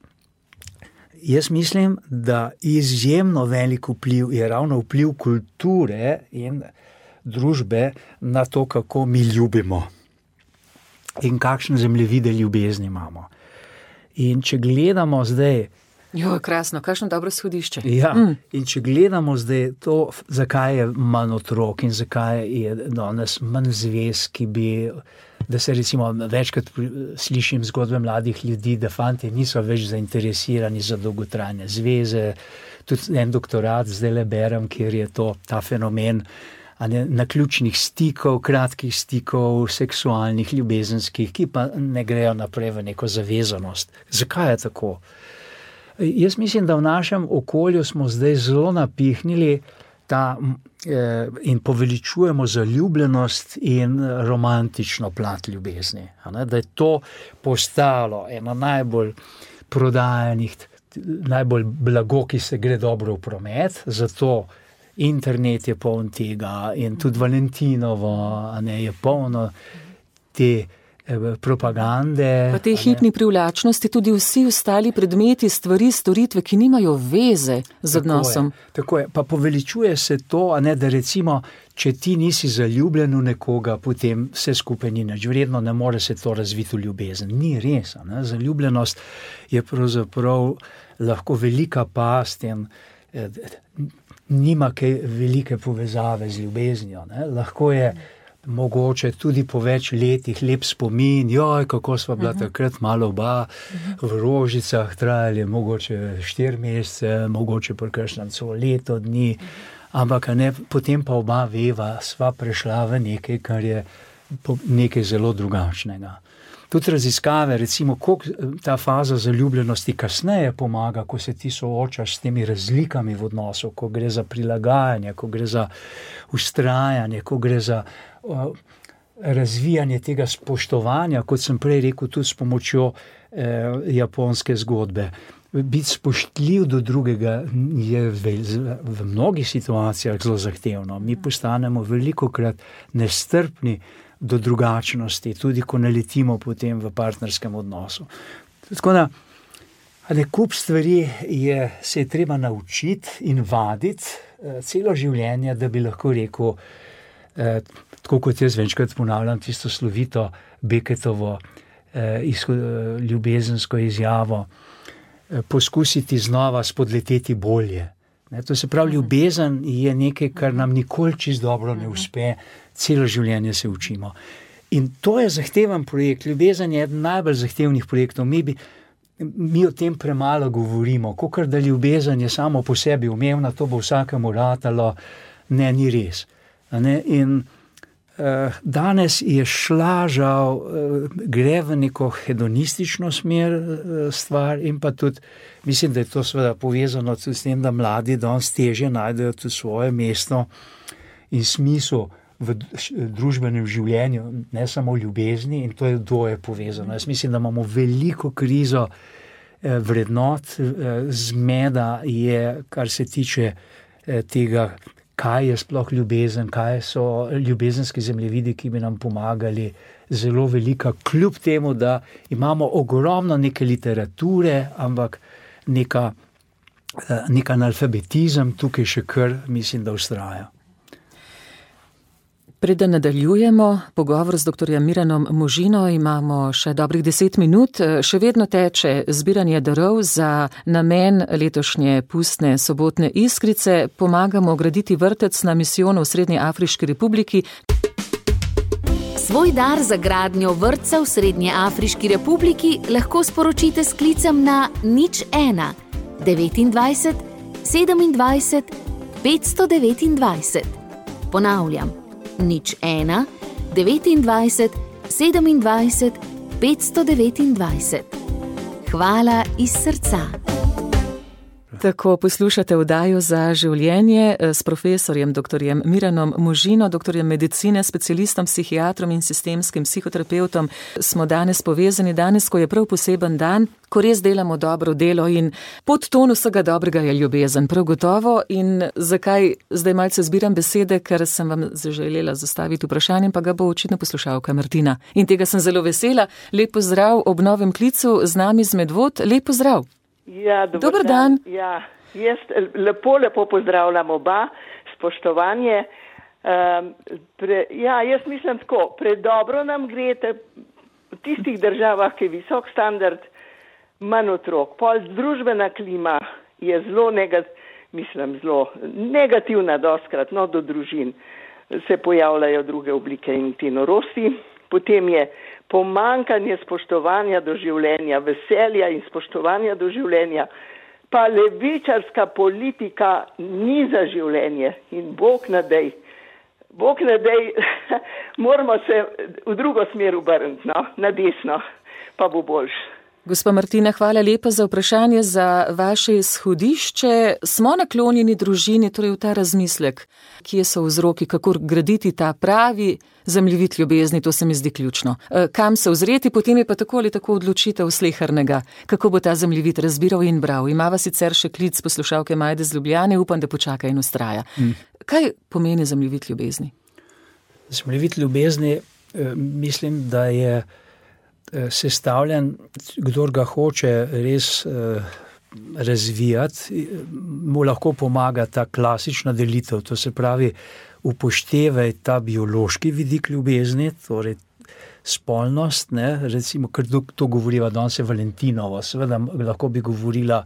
Speaker 3: Jaz mislim, da izjemno velik vpliv je ravno vpliv kulture in družbe na to, kako mi ljubimo in kakšne zemljevide ljubezni imamo. In če gledamo zdaj
Speaker 2: Jo, krasno, kakšno dobro shodišče.
Speaker 3: Ja, in če gledamo zdaj to, zakaj je manj otrok in zakaj je danes manj zvez, da se recimo večkrat slišim zgodbe mladih ljudi, da fantje niso več zainteresirani za dolgotrajne zveze. Tudi en doktorat zdaj berem, kjer je ta fenomen naključnih stikov, kratkih stikov, seksualnih, ljubezenskih, ki pa ne grejo naprej v neko zavezanost. Zakaj je tako? Jaz mislim, da v našem okolju smo zdaj zelo napihnili in poveličujemo zaljubljenost in romantično plat ljubezni. Da je to postalo eno najbolj prodajanih, najbolj blago, ki se gre dobro v promet, zato internet je poln tega in tudi Valentinovo je polno te propagande.
Speaker 2: Pa te hipni privlačnosti, tudi vsi ostali predmeti, stvari, storitve, ki nimajo veze z odnosom.
Speaker 3: Tako je. Pa poveličuje se to, da recimo, če ti nisi zaljubljen v nekoga, potem vse skupaj ni nič vredno, ne more se to razviti v ljubezen. Ni res. Zaljubljenost je pravzaprav lahko velika past in nima kaj velike povezave z ljubeznijo. Lahko je mogoče tudi po več letih lep spomin, kako sva bila takrat malo oba v rožicah, trajali mogoče 4 mesece, mogoče prekršnem celo leto dni, ampak potem pa oba veva, sva prešla v nekaj, kar je nekaj zelo drugačnega. Tudi raziskave, recimo, koliko ta faza zaljubljenosti kasneje pomaga, ko se ti soočaš s temi razlikami v odnosu, ko gre za prilagajanje, ko gre za vztrajanje, ko gre za razvijanje tega spoštovanja, kot sem prej rekel, tudi s pomočjo japonske zgodbe. Biti spoštljiv do drugega je v mnogih situacijah zelo zahtevno. Mi postanemo velikokrat nestrpni do drugačnosti, tudi ko naletimo potem v partnerskem odnosu. Tako da, kup stvari se je treba naučiti in vaditi celo življenje, da bi lahko rekel, tako kot jaz večkrat ponavljam tisto slovito Beckettovo ljubezensko izjavo, poskusiti znova spodleteti bolje. To se pravi, ljubezen je nekaj, kar nam nikoli čisto dobro ne uspe, celo življenje se učimo. In to je zahteven projekt. Ljubezen je eden najbolj zahtevnih projektov. Mi o tem premalo govorimo, kakor da ljubezen je samo po sebi umevna, to bo vsakemu ratalo. Ne, ni res. In danes je šla žal, gre v neko hedonistično smer stvar in pa tudi, mislim, da je to seveda povezano tudi s tem, da mladi danes težje najdejo tudi svoje mesto in smisel v družbenem življenju, ne samo v ljubezni, in to je dvoje povezano. Jaz mislim, da imamo veliko krizo vrednot, zmeda je, kar se tiče tega, kaj je sploh ljubezen, kaj so ljubezenski zemljevidi, ki bi nam pomagali, zelo velika, kljub temu, da imamo ogromno neke literature, ampak nek analfabetizem tukaj še kar, mislim, da vztraja.
Speaker 2: Preden nadaljujemo pogovor z dr. Miranom Možino, imamo še dobrih 10 minut. Še vedno teče zbiranje darov za namen letošnje pustne sobotne iskrice. Pomagamo graditi vrtec na misijonu v Srednji Afriški republiki.
Speaker 1: Svoj dar za gradnjo vrtca v Srednji Afriški republiki lahko sporočite s klicem na 01 29 27 529. Ponavljam. 01 29 27 529. Hvala iz srca.
Speaker 2: Tako poslušate oddajo Za življenje s profesorjem dr. Miranom Možino, doktorjem medicine, specialistom, psihiatrom in sistemskim psihoterapeutom. Smo danes povezani, danes, ko je prav poseben dan, ko res delamo dobro delo in podton vsega dobrega je ljubezen, prav gotovo. In zakaj zdaj malce zbiram besede, ker sem vam zaželela zastaviti vprašanje, pa ga bo očitno poslušalka Martina. In tega sem zelo vesela. Lep pozdrav ob novem klicu z nami z Medvod. Lep pozdrav.
Speaker 6: Ja,
Speaker 2: dober dan.
Speaker 6: Ja, jaz lepo pozdravljam oba, spoštovanje. Jaz mislim tako, predobro nam gre v tistih državah, ki je visok standard, manj otrok. Pol družbena klima je zelo negativna dostkrat, do družin se pojavljajo druge oblike in te norosti. Potem je pomankanje spoštovanja do življenja, veselja in spoštovanja do življenja, pa levičarska politika ni za življenje in Bog ne dej, moramo se v drugo smer obrniti, na desno, pa bo boljše.
Speaker 2: Gospa Martina, hvala lepa za vprašanje, za vaše izhodišče. Smo naklonjeni družini, torej v ta razmislek, kje so vzroki, kako graditi ta pravi zemljevid ljubezni, to se mi zdi ključno. Kam se ozreti, potem je pa tako ali tako odločitev slehernega, kako bo ta zemljevid razbiral in bral. Imava sicer še klic poslušalke Majde z Ljubljane, upam, da počaka in ustraja. Kaj pomeni zemljevid ljubezni?
Speaker 3: Zemljevid ljubezni, mislim, da je sestavljen, kdor ga hoče res razvijati, mu lahko pomaga ta klasična delitev, to se pravi, upoštevaj ta biološki vidik ljubezni, torej spolnost, recimo, ker to govoriva danes je Valentinovo, seveda lahko bi govorila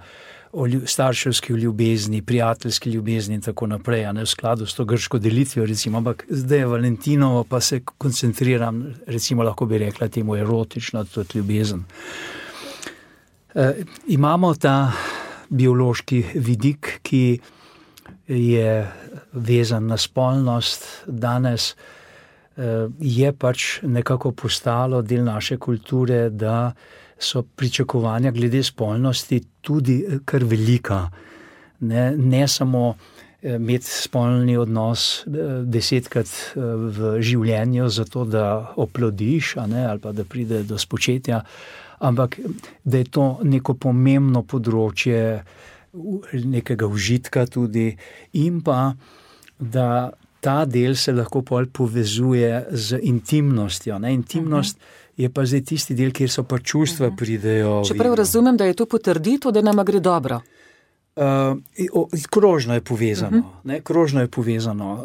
Speaker 3: o starševski ljubezni, prijateljski ljubezni in tako naprej, v skladu s to grško delitvijo, recimo, ampak zdaj je Valentinovo, pa se koncentriram, recimo, lahko bi rekla temu erotično, tudi ljubezen. Imamo ta biološki vidik, ki je vezan na spolnost, danes je pač nekako postalo del naše kulture, da so pričakovanja glede spolnosti tudi kar velika. Ne samo imeti spolni odnos 10krat v življenju zato, da oplodiš, ali pa da pride do spočetja, ampak da je to neko pomembno področje nekega užitka tudi in pa, da ta del se lahko povezuje z intimnostjo. Intimnost je pa zdaj tisti del, kjer so pa čustva pridejo.
Speaker 2: Čeprav razumem, da je to potrditev, da nama gre dobro.
Speaker 3: Krožno je povezano. Krožno je povezano.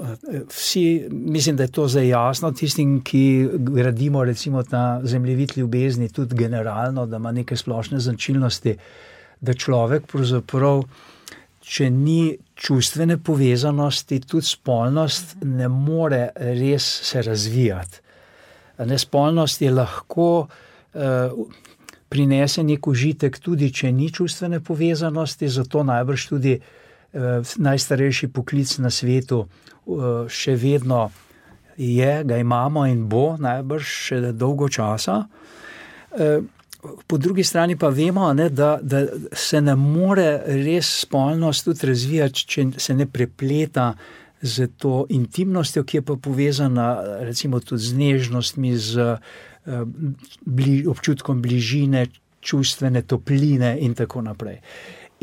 Speaker 3: Vsi, mislim, da je to zdaj jasno, tistim, ki gradimo recimo ta zemljevid ljubezni, tudi generalno, da ima neke splošne značilnosti, da človek pravzaprav, če ni čustvene povezanosti, tudi spolnost ne more res se razvijati. Spolnost je lahko prinese nek užitek, tudi če ni čustvene povezanosti, zato najbrž tudi najstarejši poklic na svetu še vedno je, ga imamo in bo najbrž še dolgo časa. Po drugi strani pa vemo, da se ne more res spolnost tudi razvijati, če se ne prepleta z to intimnostjo, ki je pa povezana recimo tudi z nežnostmi, z občutkom bližine, čustvene topline in tako naprej.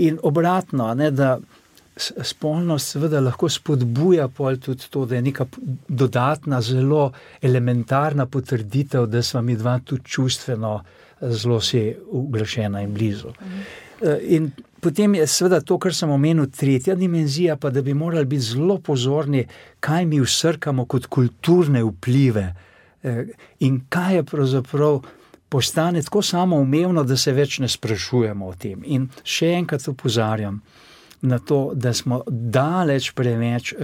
Speaker 3: In obratno, da spolnost seveda lahko spodbuja tudi to, da je neka dodatna, zelo elementarna potrditev, da sva mi dva tudi čustveno zelo si uglašena in blizu. In potem je seveda to, kar sem omenil, tretja dimenzija, pa da bi morali biti zelo pozorni, kaj mi vsrkamo kot kulturne vplive in kaj je pravzaprav postane tako samoumevno, da se več ne sprašujemo o tem. In še enkrat opozarjam na to, da smo daleč preveč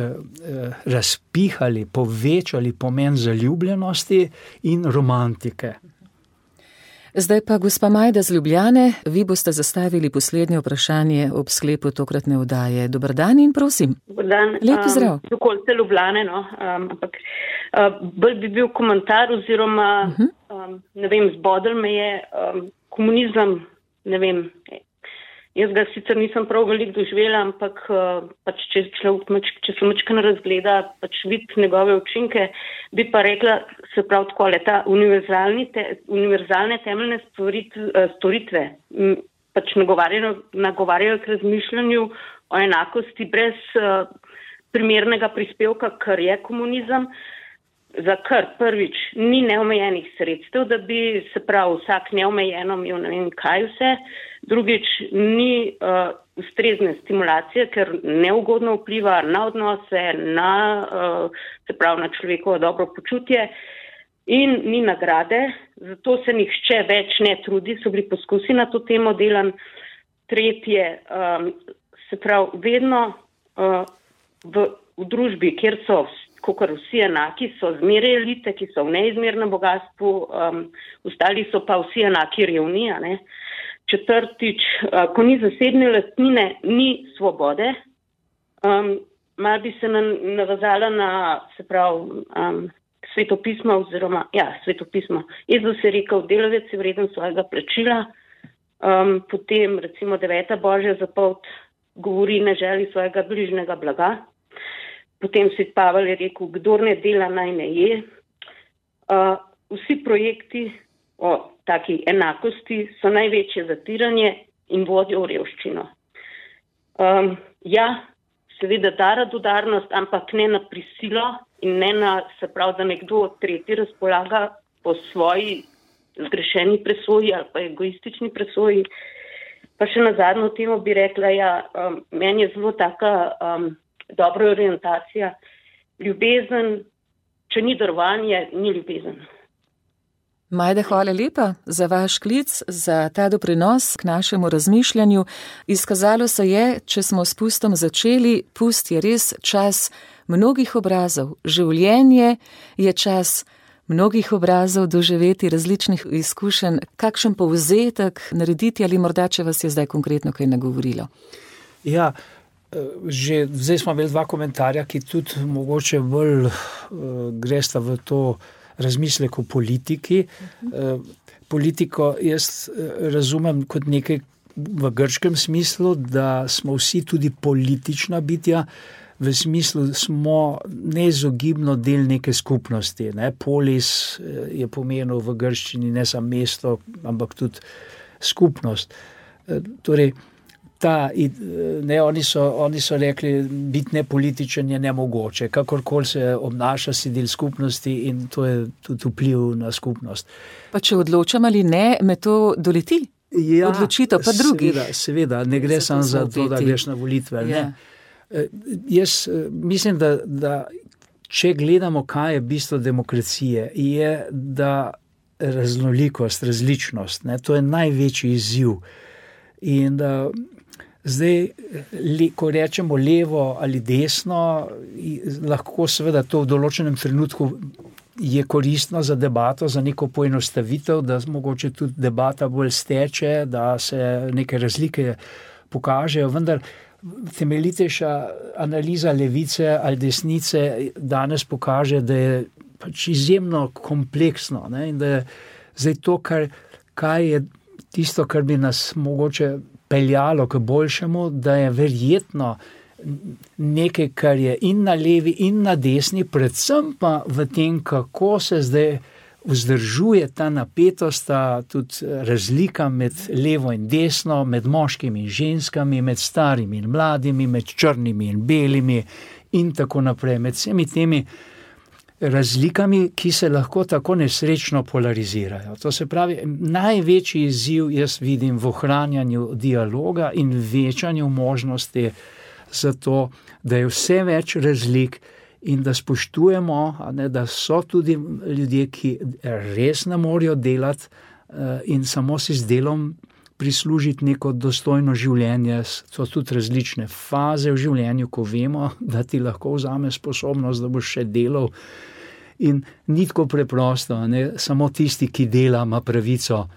Speaker 3: razpihali, povečali pomen zaljubljenosti in romantike.
Speaker 2: Zdaj pa gospa Majda z Ljubljane, vi boste zastavili poslednje vprašanje ob sklepu tokratne oddaje. Dober dan in prosim.
Speaker 7: Dober dan.
Speaker 2: Lep pozdrav.
Speaker 7: Okolice Ljubljane, ampak bolj bi bil komentar oziroma, ne vem, zbodel me je komunizem, ne vem, Jaz ga sicer nisem prav veliko doživela, ampak pač če se mačkano razgleda, pač vidi njegove učinke, bi pa rekla, se pravi takole, ta univerzalne temeljne storitve pač nagovarjajo k razmišljanju o enakosti brez primernega prispevka, kar je komunizem, za kar prvič ni neomejenih sredstev, da bi se pravi vsak neomejeno imel ne vem kaj vse, drugič ni ustrezne stimulacije, ker neugodno vpliva na odnose, se pravi na človekovo dobro počutje in ni nagrade, zato se nihče več ne trudi, so bili poskusi na to temo delan. Tretje, se pravi vedno v družbi, kjer so kakor vsi enaki, so zmeraj elite, ki so v neizmernem bogatstvu, ostali so pa vsi enaki revni. Četrtič, ko ni zasebne lastnine, ni svobode. Malo bi se navezala na, se pravi, svetopismo oziroma, svetopismo. Jezus je rekel, delavec je vreden svojega plačila, potem recimo 9. Božja zapoved govori ne želi svojega bližnjega blaga. Potem svet Pavel je rekel, kdor ne dela, naj ne je. Vsi projekti o taki enakosti so največje zatiranje in vodijo v revščino. Seveda da radodarnost, ampak ne na prisilo in ne na, se pravi, da nekdo tretji razpolaga po svoji zgrešeni presoji ali pa egoistični presoji. Pa še na zadnjo temo bi rekla, meni je zelo taka dobra orientacija. Ljubezen, če ni darovanje, ni ljubezen.
Speaker 2: Majda, hvala lepa za vaš klic, za ta doprinos k našemu razmišljanju. Izkazalo se je, če smo s pustom začeli, pust je res čas mnogih obrazov. Življenje je čas mnogih obrazov, doživeti različnih izkušenj. Kakšen povzetek narediti ali morda, če vas je zdaj konkretno kaj nagovorilo?
Speaker 3: Ja, že zdaj smo imeli 2 komentarja, ki tudi mogoče bolj gresta v to razmislek o politiki. Politiko jaz razumem kot nekaj v grškem smislu, da smo vsi tudi politična bitja, v smislu smo neizogibno del neke skupnosti. Polis je pomenil v grščini ne samo mesto, ampak tudi skupnost. Torej, oni so rekli, biti nepolitičen je nemogoče, kakorkoli se obnaša, si del skupnosti in to je tudi vpliv na skupnost.
Speaker 2: Pa če odločam ali ne, me to doleti? Odločitev pa drugih.
Speaker 3: Seveda, ne gre samo za to, da greš na volitve. Jaz mislim, da če gledamo, kaj je bistvo demokracije, je da raznolikost, različnost, to je največji izziv. In zdaj, ko rečemo levo ali desno, lahko seveda to v določenem trenutku je koristno za debato, za neko poenostavitev, da mogoče tudi debata bolj steče, da se neke razlike pokažejo, vendar temeljitejša analiza levice ali desnice danes pokaže, da je pač izjemno kompleksno, in da je zdaj to, kaj je tisto, kar bi nas mogoče peljalo k boljšemu, da je verjetno nekaj, kar je in na levi in na desni, predvsem pa v tem, kako se zdaj vzdržuje ta napetost, tudi razlika med levo in desno, med moškimi in ženskami, med starimi in mladimi, med črnimi in belimi in tako naprej, med vsemi temi razlikami, ki se lahko tako nesrečno polarizirajo. To se pravi, največji izziv jaz vidim v ohranjanju dialoga in večanju možnosti za to, da je vse več razlik in da spoštujemo, da so tudi ljudje, ki res ne morejo delati in samo si z delom prislužiti neko dostojno življenje. So tudi različne faze v življenju, ko vemo, da ti lahko vzame sposobnost, da boš še delal. In ni tako preprosto, samo tisti, ki dela, ima pravico,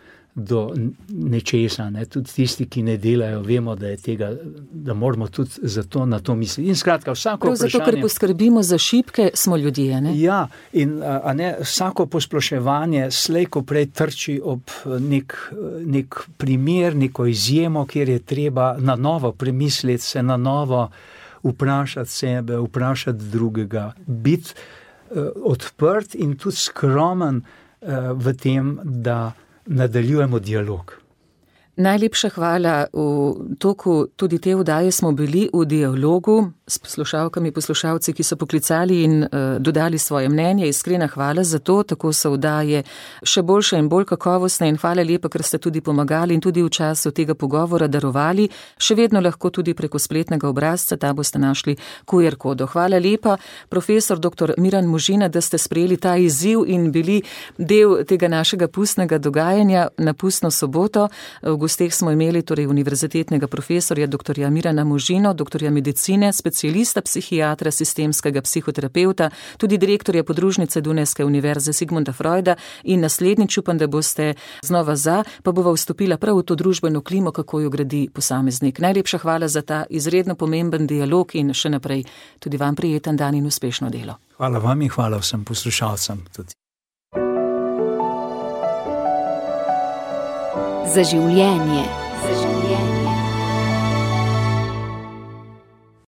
Speaker 3: do nečesa, ne. Tudi tisti, ki ne delajo, vemo, da je tega, da moramo tudi zato na to misliti. In skratka, vsako vprašanje...
Speaker 2: Zato, ker poskrbimo za šibke, smo ljudje, ne?
Speaker 3: Ja, in vsako posploševanje slej ko prej trči ob nek primer, neko izjemo, kjer je treba na novo premisliti, se na novo vprašati sebe, vprašati drugega, biti odprt in tudi skromen v tem, da nadaljujemo dialog.
Speaker 2: Najlepša hvala. V toku tudi te oddaje smo bili v dialogu s poslušalkami, poslušalci, ki so poklicali in dodali svoje mnenje. Iskrena hvala za to, tako so oddaje še boljše in bolj kakovostne in hvala lepa, ker ste tudi pomagali in tudi v času tega pogovora darovali. Še vedno lahko tudi preko spletnega obrazca, ta boste našli QR kodo. Hvala lepa, profesor dr. Miran Možina, da ste sprejeli ta izziv in bili del tega našega pustnega dogajanja na pustno soboto. V gosteh smo imeli torej univerzitetnega profesorja dr. Mirana Možino, doktorja medicine, specialista psihiatra, sistemskega psihoterapeuta, tudi direktorja podružnice Dunajske univerze Sigmunda Freuda in naslednjič upam, da boste znova pa bova vstopila prav v to družbeno klimo, kako jo gradi posameznik. Najlepša hvala za ta izredno pomemben dialog in še naprej tudi vam prijeten dan in uspešno delo.
Speaker 3: Hvala vam in hvala vsem poslušalcem tudi.
Speaker 1: Za življenje. Za življenje.